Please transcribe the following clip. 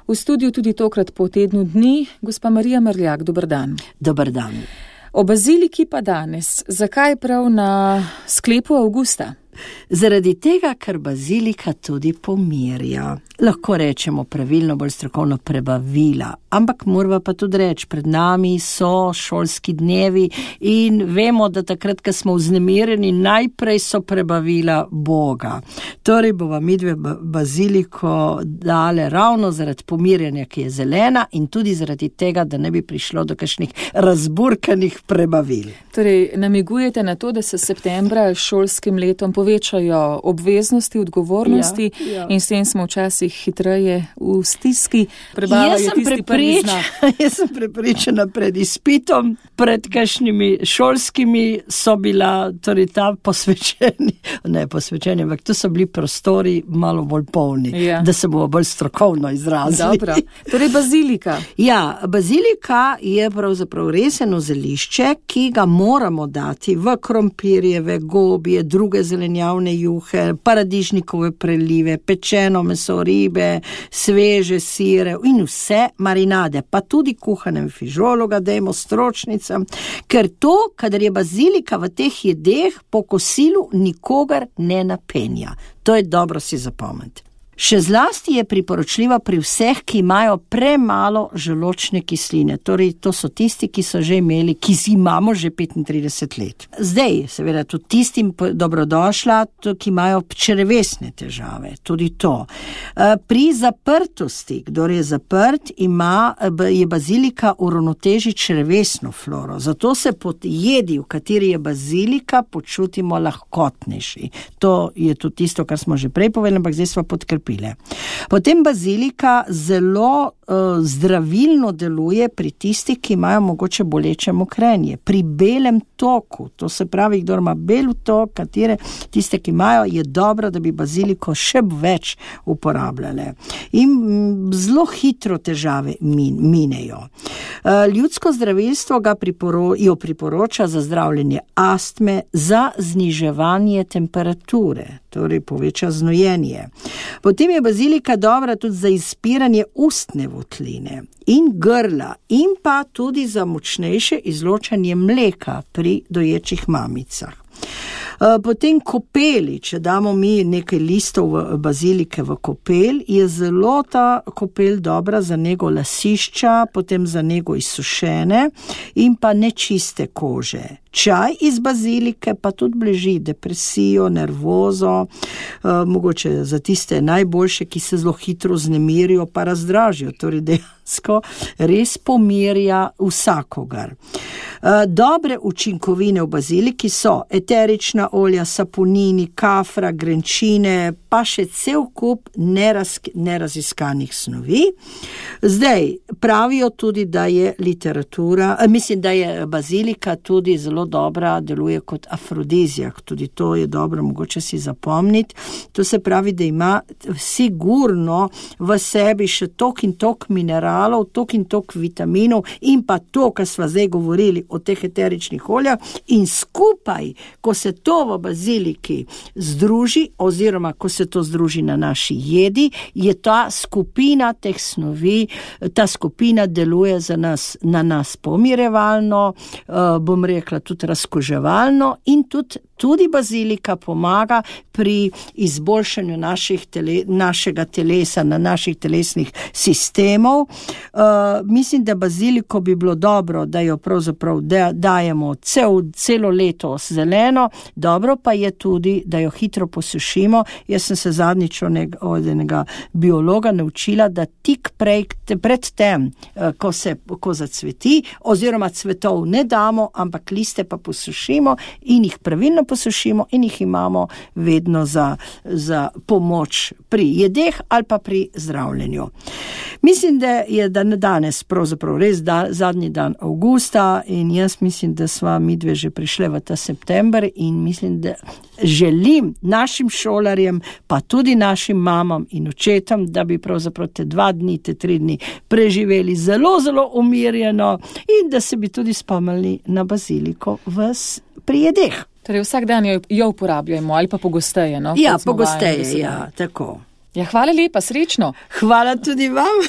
V studiu tudi tokrat po tednu dni, gospa Marija Merljak, dober dan. Dober dan. O baziliki pa danes. Zakaj prav na sklepu avgusta? Zaradi tega, ker bazilika tudi pomirja. Lahko rečemo pravilno, bolj strokovno prebavila, ampak morava pa tudi reči, pred nami so šolski dnevi in vemo, da takrat, ko smo vznemirjeni, najprej so prebavila Boga. Torej bova midve baziliko dale ravno zaradi pomirjanja, ki je zelena in tudi zaradi tega, da ne bi prišlo do kakšnih razburkanih prebavil. Torej, namigujete na to, da se septembra šolskim letom povečajo obveznosti, odgovornosti in s tem smo včasih hitreje v stiski. Jaz sem prepričana pred izpitom, pred kakšnimi šolskimi so bila, torej ta posvečeni, ampak tu so bili prostori malo bolj polni, da se bomo bolj strokovno izrazili. Dobro. Torej bazilika. Ja, bazilika je pravzaprav reseno zelišče, ki ga moramo dati v krompirjeve, gobije, druge zelenjavne juhe, paradižnikove prelive, pečeno meso, ribe, sveže sire in vse marinade, pa tudi kuhanem fižolu ga dajmo stročnicam, ker to, kadar je bazilika v teh jedeh, po kosilu nikogar ne napenja. To je dobro si zapomniti. Še zlasti je priporočljiva pri vseh, ki imajo premalo želodčne kisline. Torej, to so tisti, ki so že imeli, ki imamo že 35 let. Zdaj, seveda, tudi tistim dobrodošla, ki imajo črevesne težave. Tudi to. Pri zaprtosti, kdor je zaprt, je bazilika uravnoteži črevesno floro. Zato se po jedi, v kateri je bazilika, počutimo lahkotnejši. To je tudi tisto, kar smo že prej povedali, ampak zdaj smo podkrepili. Potem bazilika zelo zdravilno deluje pri tistih, ki imajo mogoče boleče mokrenje. Pri belem toku, to se pravi, kdor ima bel tok, tiste, ki imajo, je dobro, da bi baziliko še več uporabljale. In zelo hitro težave minejo. Ljudsko zdravilstvo jo priporoča za zdravljenje astme, za zniževanje temperature, torej poveča znojenje. Potem je bazilika dobra tudi za izpiranje ustne votline in grla in pa tudi za močnejše izločanje mleka pri doječih mamicah. Potem kopeli, če damo mi nekaj listov bazilike v kopel, je zelo ta kopel dobra za nego lasišča, potem za nego izsušene in pa nečiste kože. Čaj iz bazilike pa tudi blaži depresijo, nervozo, mogoče za tiste najboljše, ki se zelo hitro vznemirijo pa razdražijo, torej dejansko res pomirja vsakogar. Dobre učinkovine v baziliki so eterična olja, saponini, kafra, grenčine, pa še cel kup neraziskanih snovi. Zdaj, pravijo tudi, da je da je bazilika tudi zelo dobra, deluje kot afrodizijak, tudi to je dobro, mogoče si zapomniti. To se pravi, da ima sigurno v sebi še tok in tok mineralov, tok in tok vitaminov in pa to, kar sva zdaj govorili o teh eteričnih oljah in skupaj, ko se to v baziliki združi oziroma ko se to združi na naši jedi, je ta skupina teh snovi, ta skupina deluje na nas pomirevalno, bom rekla tudi razkoževalno in tudi bazilika pomaga pri izboljšanju našega telesa, na naših telesnih sistemov. Mislim, da baziliko bi bilo dobro, da jo pravzaprav dajemo celo leto zeleno, dobro pa je tudi, da jo hitro posušimo. Jaz sem se zadnjič od enega biologa naučila, da tik pred tem, ko zacveti, oziroma cvetov ne damo, ampak liste pa posušimo in jih pravilno posušimo in jih imamo vedno za pomoč pri jedeh ali pa pri zdravljenju. Mislim, da je danes pravzaprav res zadnji dan avgusta in jaz mislim, da sva midve že prišle v ta september in mislim, da želim našim šolarjem, pa tudi našim mamam in očetom, da bi pravzaprav te 2 dni, te 3 dni preživeli zelo, zelo umirjeno in da se bi tudi spomnili na baziliko pri jedeh. Torej vsak dan jo uporabljamo ali pa pogosteje, no? Ja, pogosteje, ja, tako. Ja, hvala lepa, srečno. Hvala tudi vam.